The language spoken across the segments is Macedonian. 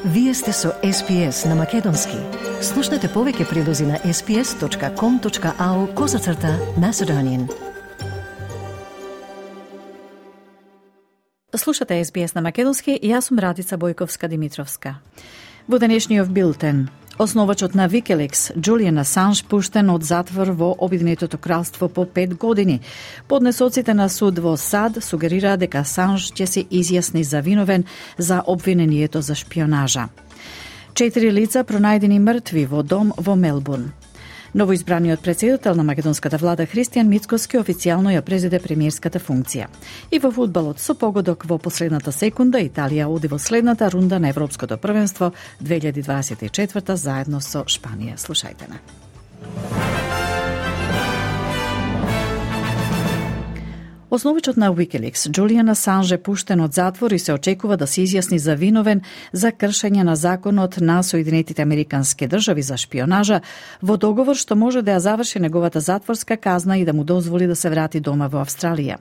Вие сте со SPS на Македонски. Слушнете повеќе прилози на sps.com.au/Macedonian. Слушате SBS на Македонски и јас сум Радица Бојковска-Димитровска. Во денешниот билтен, основачот на Wikileaks, Джулијан Асанж, пуштен од затвор во Обединетото кралство по 5 години. Поднесоците на суд во САД сугерира дека Асанж ќе се изјасни за виновен за обвинението за шпионажа. 4 лица пронајдени мртви во дом во Мелбурн. Новоизбраниот претседател на македонската влада Христијан Мицкоски официјално ја презеде премиерската функција. И во фудбалот со погодок во последната секунда Италија оди во следната рунда на Европското првенство 2024 заедно со Шпанија. Слушајте на. Основичот на Wikileaks, Джулијан Асанж, е пуштен од затвор и се очекува да се изјасни за виновен за кршење на законот на Соединетите Американски држави за шпионажа во договор што може да ја заврши неговата затворска казна и да му дозволи да се врати дома во Австралија.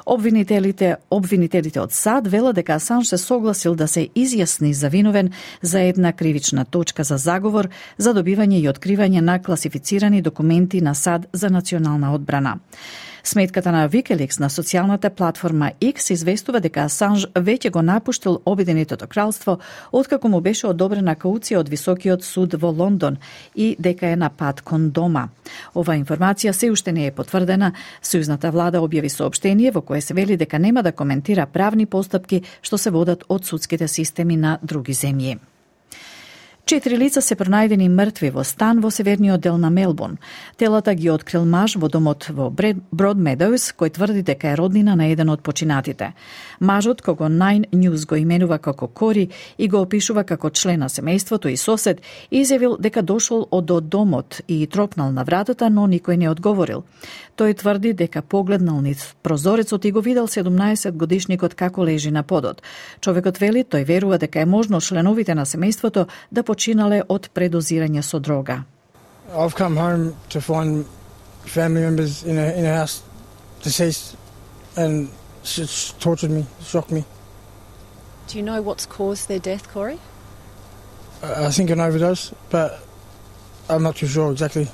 Обвинителите од САД велат дека Асанж се согласил да се изјасни за виновен за една кривична точка за заговор за добивање и откривање на класифицирани документи на САД за национална одбрана. Сметката на Wikileaks на социјалната платформа X известува дека Асанж веќе го напуштил Обединетото кралство откако му беше одобрена кауција од Високиот суд во Лондон и дека е на пат кон дома. Ова информација се уште не е потврдена. Сојузната влада објави соопштение во кое се вели дека нема да коментира правни постапки што се водат од судските системи на други земји. 4 лица се пронајдени мртви во стан во северниот дел на Мелбурн. Телата ги открил маж во домот во Broadmeadows, кој тврди дека е роднина на еден од починатите. Мажот, кого Nine News го именува како Кори и го опишува како член на семејството и сосед, изјавил дека дошол од домот и тропнал на вратата, но никој не одговорил. Тој тврди дека погледнал низ прозорецот и го видел 17-годишникот како лежи на подот. Човекот вели, тој верува дека е можно членовите на семејството да починале од предозирање со дрога. I've come home to find family members in a house deceased and it's tortured me, shocked me. Do you know what's caused their death, Corey? I think an overdose, but I'm not too sure exactly.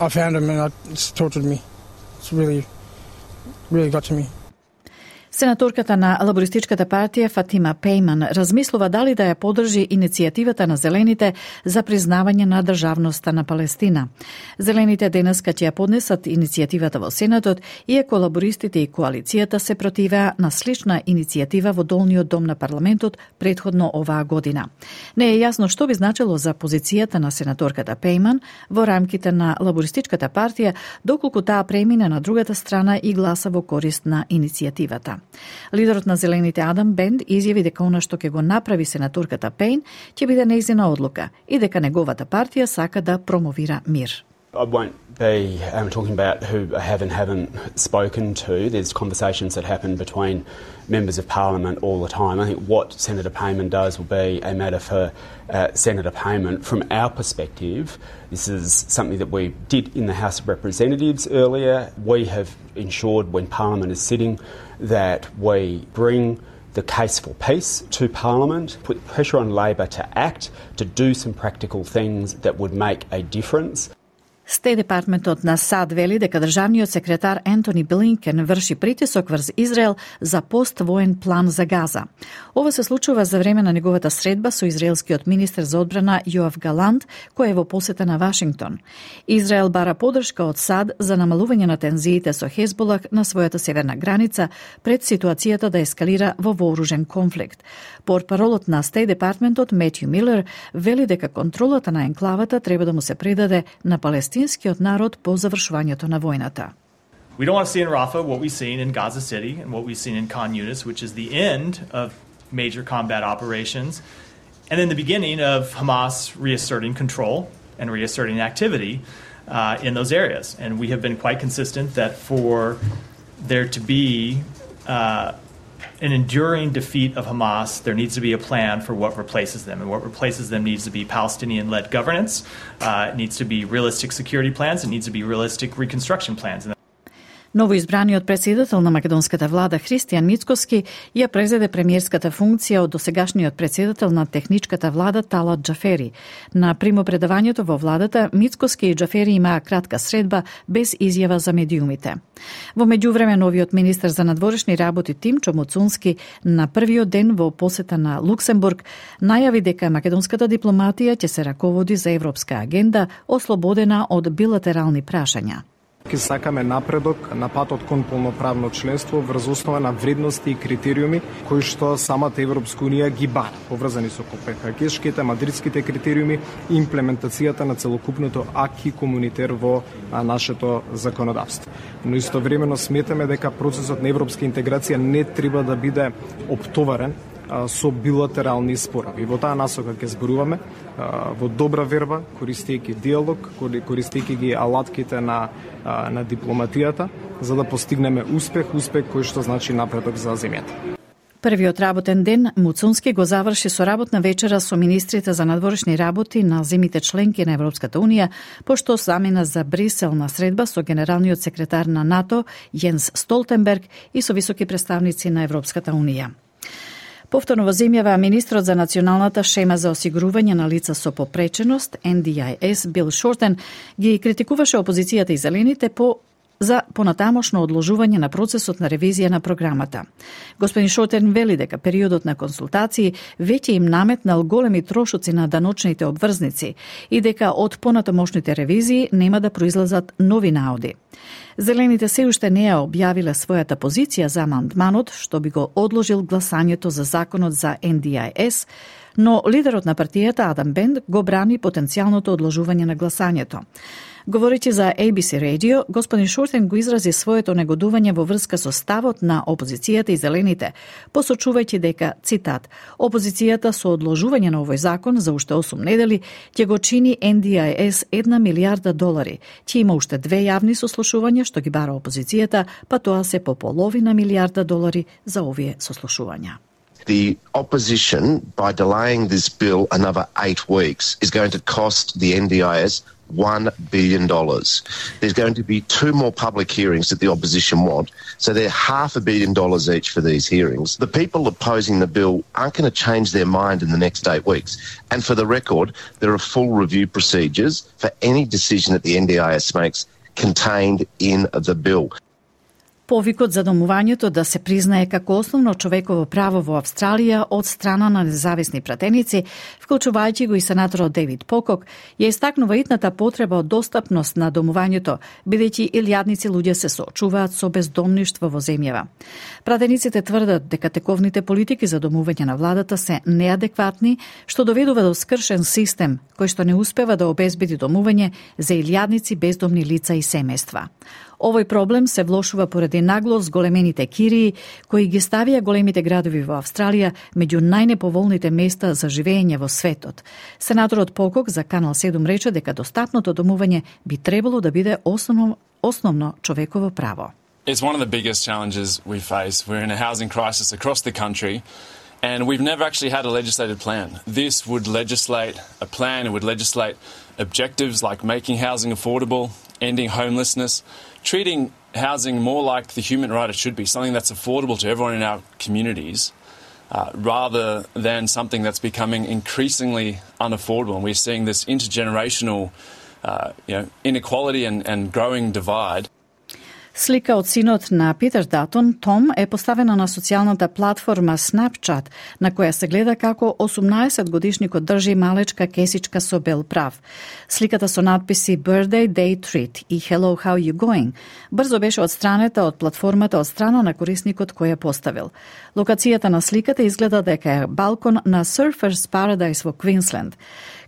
I found them and it's tortured me. It's really got to me. Сенаторката на Лабористичката партија Фатима Пейман размислува дали да ја подржи иницијативата на Зелените за признавање на државноста на Палестина. Зелените денеска ќе ја поднесат иницијативата во Сенатот, иако лабористите и коалицијата се противеа на слична иницијатива во долниот дом на парламентот претходно оваа година. Не е јасно што би значило за позицијата на сенаторката Пейман во рамките на Лабористичката партија, доколку таа премине на другата страна и гласа во корист на иницијативата. Лидерот на Зелените Адам Бенд изјави дека она што ќе го направи сенаторката Пейн ќе биде нејзина одлука и дека неговата партија сака да промовира мир. I won't be talking about who I have and haven't spoken to. There's conversations that happen between members of Parliament all the time. I think what Senator Payman does will be a matter for Senator Payman. From our perspective, this is something that we did in the House of Representatives earlier. We have ensured when Parliament is sitting that we bring the case for peace to Parliament, put pressure on Labor to act, to do some practical things that would make a difference. Стејт департментот на САД вели дека државниот секретар Ентони Блинкен врши притисок врз Израел за поствоен план за Газа. Ова се случува за време на неговата средба со израелскиот министер за одбрана Јоав Галант, кој е во посета на Вашингтон. Израел бара подршка од САД за намалување на тензиите со Хезболах на својата северна граница пред ситуацијата да ескалира во вооружен конфликт. Портпаролот на Стејт департментот Метју Милер вели дека контролата на енклавата треба да му се предаде на палестинскиот народ по завршувањето на војната. We don't want to see in Rafah what we've seen in Gaza City and what we've seen in Khan Yunis, which is the end of major combat operations and then the beginning of Hamas reasserting control and reasserting activity in those areas. And we have been quite consistent that for there to be an enduring defeat of Hamas, there needs to be a plan for what replaces them. And what replaces them needs to be Palestinian-led governance. It needs to be realistic security plans. It needs to be realistic reconstruction plans. Новоизбраниот председател на македонската влада Христијан Мицкоски ја презеде премиерската функција од досегашниот председател на техничката влада Талат Џафери. На примопредавањето во владата Мицкоски и Џафери имаа кратка средба без изјава за медиумите. Во меѓувреме новиот министер за надворешни работи Тимчо Моцунски на првиот ден во посета на Луксембург најави дека македонската дипломатија ќе се раководи за европска агенда ослободена од билатерални прашања. Ки сакаме напредок на патот кон полноправно членство врз основа на вредности и критериуми кои што самата Европска унија ги бара, поврзани со копенхагенските, мадридските критериуми и имплементацијата на целокупното аки комунитер во нашето законодавство. Но истовремено сметаме дека процесот на европска интеграција не треба да биде оптоварен со билатерални спорови. Во таа насока ќе зборуваме во добра верба, користејќи диалог, користејќи ги алатките на дипломатијата, за да постигнеме успех кој што значи напредок за земјата. Првиот работен ден Муцунски го заврши со работна вечера со министрите за надворешни работи на земите членки на Европската унија, пошто замена за Брисел на средба со генералниот секретар на НАТО Јенс Столтенберг и со високи представници на Европската унија. Повторно во земјава министрот за националната шема за осигурување на лица со попреченост, NDIS, Бил Шортен, ги критикуваше опозицијата и зелените за понатамошно одложување на процесот на ревизија на програмата. Господин Шортен вели дека периодот на консултации веќе им наметнал големи трошоци на даночните обврзници и дека од понатамошните ревизии нема да произлезат нови наоди. Зелените се уште не ја објавиле својата позиција за амандманот, што би го одложил гласањето за законот за NDIS, но лидерот на партијата Адам Бенд го брани потенцијалното одложување на гласањето. Говорејќи за ABC Radio, господин Шортен го изрази своето негодување во врска со ставот на опозицијата и зелените, посочувајќи дека, цитат, опозицијата со одложување на овој закон за уште 8 недели ќе го чини NDIS $1 милиарда, ќе има уште 2 јавни сослушувања што ги бара опозицијата, па тоа се по $0,5 милиарда за овие сослушувања. The opposition, by delaying this bill another 8 weeks, is going to cost the NDIS $1 billion. There's going to be 2 more public hearings that the opposition want, so they're $500 million each for these hearings. The people opposing the bill aren't going to change their mind in the next 8 weeks. And for the record, there are full review procedures for any decision that the NDIS makes contained in the bill. Повикот за домувањето да се признае како основно човеково право во Австралија од страна на независни пратеници, вклучувајќи го и сенаторот Дейвид Покок, ја истакнува итната потреба од достапност на домувањето, бидејќи илјадници луѓе се соочуваат со бездомништво во земјава. Пратениците тврдат дека тековните политики за домување на владата се неадекватни, што доведува до скршен систем кој што не успева да обезбеди домување за илјадници бездомни лица и семејства. Овој проблем се влошува поради нагло зголемените кирии, кои ги ставија големите градови во Австралија меѓу најнеповолните места за живење во светот. Сенаторот Покок за Канал 7 рече дека достапното домување би требало да биде основно човеково право. It's one of the biggest challenges we face. We're in a housing crisis across the country. And we've never actually had a legislated plan. This would legislate a plan, it would legislate objectives like making housing affordable, ending homelessness, treating housing more like the human right it should be, something that's affordable to everyone in our communities, rather than something that's becoming increasingly unaffordable. And we're seeing this intergenerational inequality and growing divide. Слика од синот на Питер Датон, Том, е поставена на социјалната платформа Snapchat, на која се гледа како 18-годишникот држи малечка кесичка со бел прав. Сликата со надписи Birthday Day Treat и Hello How You Going брзо беше отстранета од платформата од страна на корисникот кој ја поставил. Локацијата на сликата изгледа дека е балкон на Surfers Paradise во Квинсленд.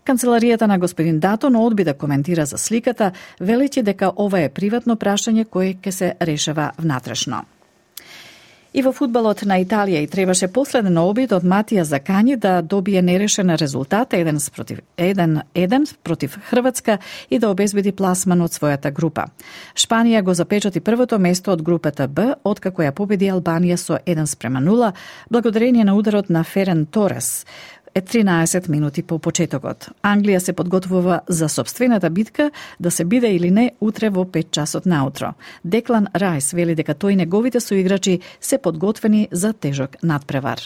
Канцеларијата на господин Датон одби да коментира за сликата, велејќи дека ова е приватно прашање кое ќе се решава внатрешно. И во фудбалот на Италија и требаше последен обид од Матија Закањи да добие нерешен резултат 1-1 против Хрватска и да обезбеди пласман од својата група. Шпанија го запечати првото место од групата Б, откако ја победи Албанија со 1-0, благодарение на ударот на Ферен Торес. е 13 минути по почетокот. Англија се подготвува за собствената битка да се биде или не утре во 5 часот наутро. Деклан Райс вели дека тој и неговите соиграчи се подготвени за тежок надпревар.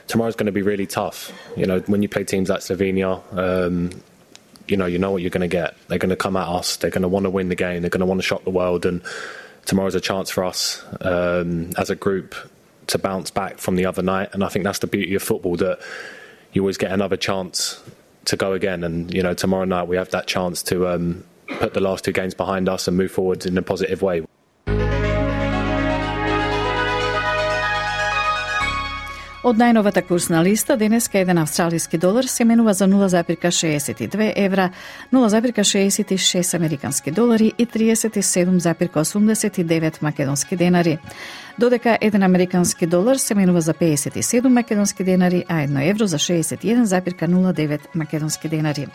Tomorrow's going to be really tough. You know, when you play teams like Slovenia, you know what you're going to get. They're going to come at us. They're going to want to win the game. They're going to want to shock the world. And tomorrow's a chance for us as a group to bounce back from the other night. And I think that's the beauty of football, that you always get another chance to go again. And, you know, tomorrow night we have that chance to put the last 2 games behind us and move forward in a positive way. Од најновата курсна листа, денеска еден австралиски долар се менува за 0,62 евра, 0,66 американски долари и 37,89 македонски денари. Додека еден американски долар се менува за 57 македонски денари, а 1 евро за 61,09 македонски денари.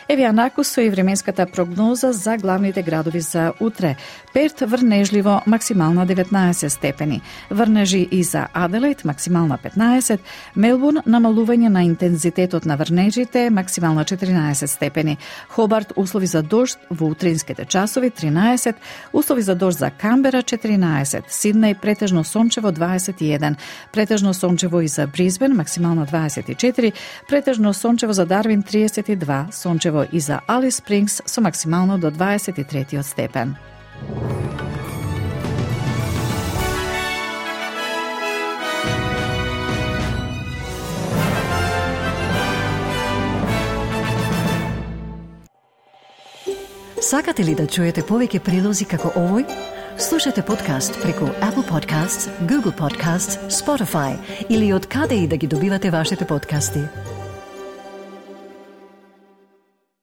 Еве накус со и временската прогноза за главните градови за утре. Перт врнежливо, максимална 19 степени. Врнежи и за Аделаид, максимална 15. Мелбурн, намалување на интензитетот на врнежите, максимална 14 степени. Хобарт, услови за дожд во утринските часови 13. Услови за дожд за Камбера 14. Сиднеј, претежно сончево 21. Претежно сончево и за Бризбен, максимална 24. Претежно сончево за Дарвин 32. Сончево и за Алис Спрингс со максимално до 23 степен. Сакате ли да чуете повеќе прилози како овој? Слушате подкаст преку Apple Podcasts, Google Podcasts, Spotify или од каде и да ги добивате вашите подкасти.